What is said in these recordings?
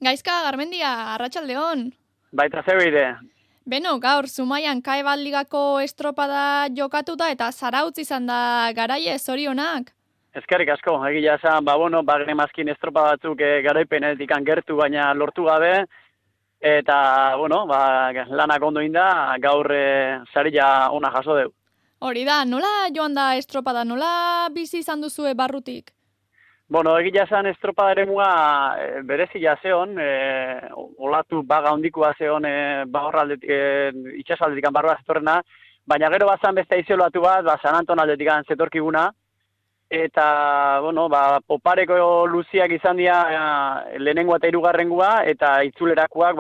Gaizka, Garmendia, arratsaldeon. Baita zebeide. Beno, gaur, Zumaian Kaebal Ligako estropada jokatuta eta Zarautz izan da garaie, zorionak. Eskerrik asko, egia esan, genemazkin estropa batzuk garaipenetik gertu, baina lortu gabe, eta, lanak ondo inda, gaur saria ona jaso deu. Hori da, nola joan da estropada, nola bizi izan duzue barrutik? Egia esan estropada ere muga berezia zeon, olatu baga hondikoa zeon itxasaldetik barroa zetorrena, baina gero bazan beste isolatu bat, San Anton aldetik zetorkiguna, eta, popareko luziak izan dira lehenengoa eta hirugarrengua, eta itzulerakoak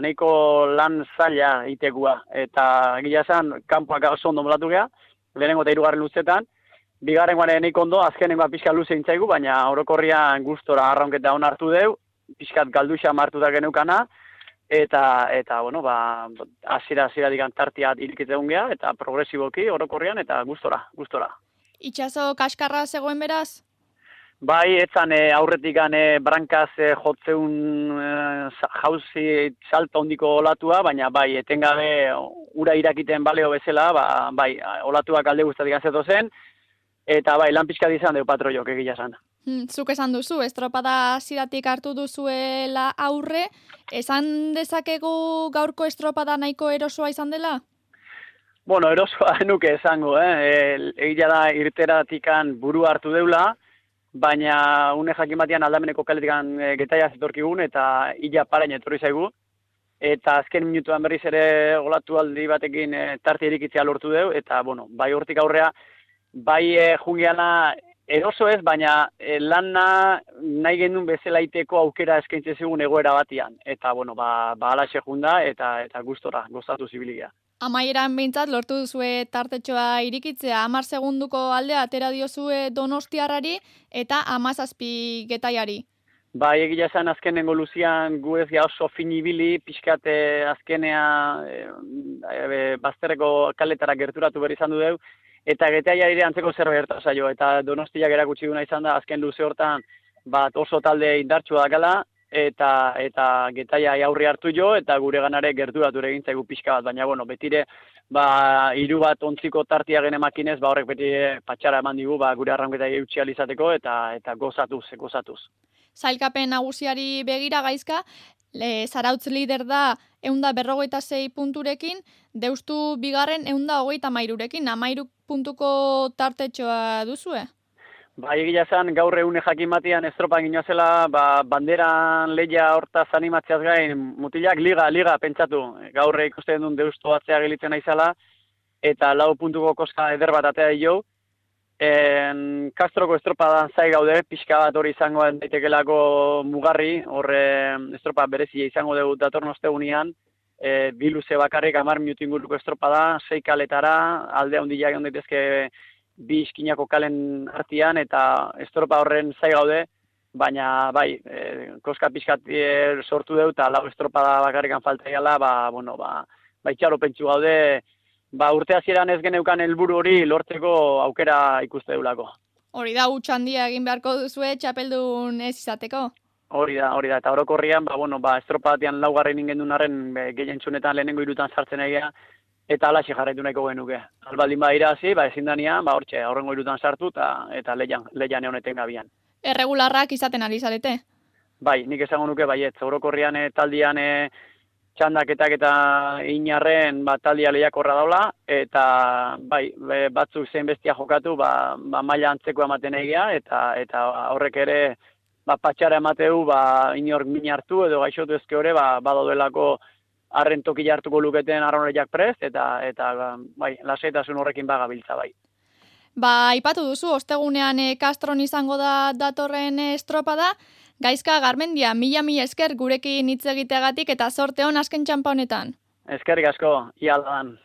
nahiko lan zaila itekua. Eta egia esan, kanpoak oso ondo molatu geha, lehenengo eta hirugarren luzetan, bigarrengoan nahiko ondo, azkenengoa pixka luze intzaigu, baina orokorrian gustora arraunketa hon hartu deu, pixkat galduxa martuta geneukana, eta hasiera tartia irikitzen geha, eta progresiboki orokorrian, eta gustora. Itxaso kaskarra zegoen beraz? Bai, etzan aurretik brankaz jotzeun jauzi salto hondiko olatua, baina bai, etengabe ura irakiten baleo bezala, olatuak alde guztatik azeto zen, eta bai, lan pixkat izan deu patroiok egia esan. Zuk esan duzu, estropada hasieratik hartu duzuela aurre, esan dezakegu gaurko estropada nahiko erosoa izan dela? Erosoa nuke esango, egia da irteratikan buru hartu deula, baina une jakin batean aldameneko kaletikan getaia zetorkigun eta illa parain etorri zaigu. Eta azken minutuan berriz ere olatu aldi batekin tarte irikitzea lortu deu, eta bai hortik aurrea, bai jungiana eroso ez, baina lana nahi genuen bezala iteko aukera eskaintze zigun egoera batian. Eta alaxe junda eta gustora, gozatu zibiligia. Amaieran behintzat lortu duzue tartetxoa irikitzea, 10 segunduko aldea atera diozue Donostiarrari eta 17 getaiari. Bai, egia esan azkenengo luzian gu ez oso finibili, pixkate azkenea bazterreko kaletara gerturatu berri izan du deu, eta getaiari antzeko zerbait gerta zaio, eta Donostiak erakutsi duna izan da azken luze hortan oso talde indartsua dakala, eta getaia aurri hartu jo, eta gure ganare gerturatu egin zaigu pixka bat, baina betire hiru bat ontziko tartia genemakinez, horrek beti patxara eman digu gure arraunketa eutxi alizateko, eta gozatuz. Sailkapen nagusiari begira Gaizka, Zarautz lider da 156 punturekin, Deustu bigarren 133rekin, 13 puntuko tartetxoa duzue? Egia esan, gaur egune jakin batean estropan ginoazela, banderan lehia hortaz animatzeaz gain, mutilak liga pentsatu. Gaur ikusten duen Deustu batzea gelitzen naizala, eta 4 puntuko koska eder bat atea dio. Kastroko estropadan zai gaude, pixka bat hori izango daitekelako mugarri, horre estropa berezia izango dugu datorn ostegunean, biluze bakarrik 10 minutu inguruko estropada, 6 kaletara, alde handiak egon daitezke 2 iskinako kalen artean, eta estropa horren zai gaude, baina koska pixkat sortu deu, eta 4 estropada bakarrikan falta egala, itxaro pentsu gaude, urte hasieran ez geneukan helburu hori lortzeko aukera ikuste deulako. Hori da, huts handia egin beharko duzue txapeldun ez izateko? Hori da, eta orokorrian, estropa batean 4. ingendun arren gehientsunetan lehenengo 3 sartzen egia, eta alaxe jarraitu nahiko genuke. Albaldin irazi, ezin danean, hortxe, aurrengo 3 sartu, eta lehian egoneten gabian. Erregularrak izaten ari zarete? Bai, nik esango nuke baietz, orokorrian taldian txandaketak eta inarren taldia lehiakorra daula, eta batzuk zein bestia jokatu, maila antzeko ematen egia, eta horrek ere patxara emateu, inork min hartu edo gaixotu ezke hori, badaudelako arren toki hartuko luketen arroneak prest, eta lasaitasun horrekin bagabiltza bai. Aipatu duzu, ostegunean Castron izango da datorren estropada, Gaizka Garmendia, mila esker gurekin hitz egiteagatik eta zorte on azken txanpa honetan. Eskerrik asko, ia aldan.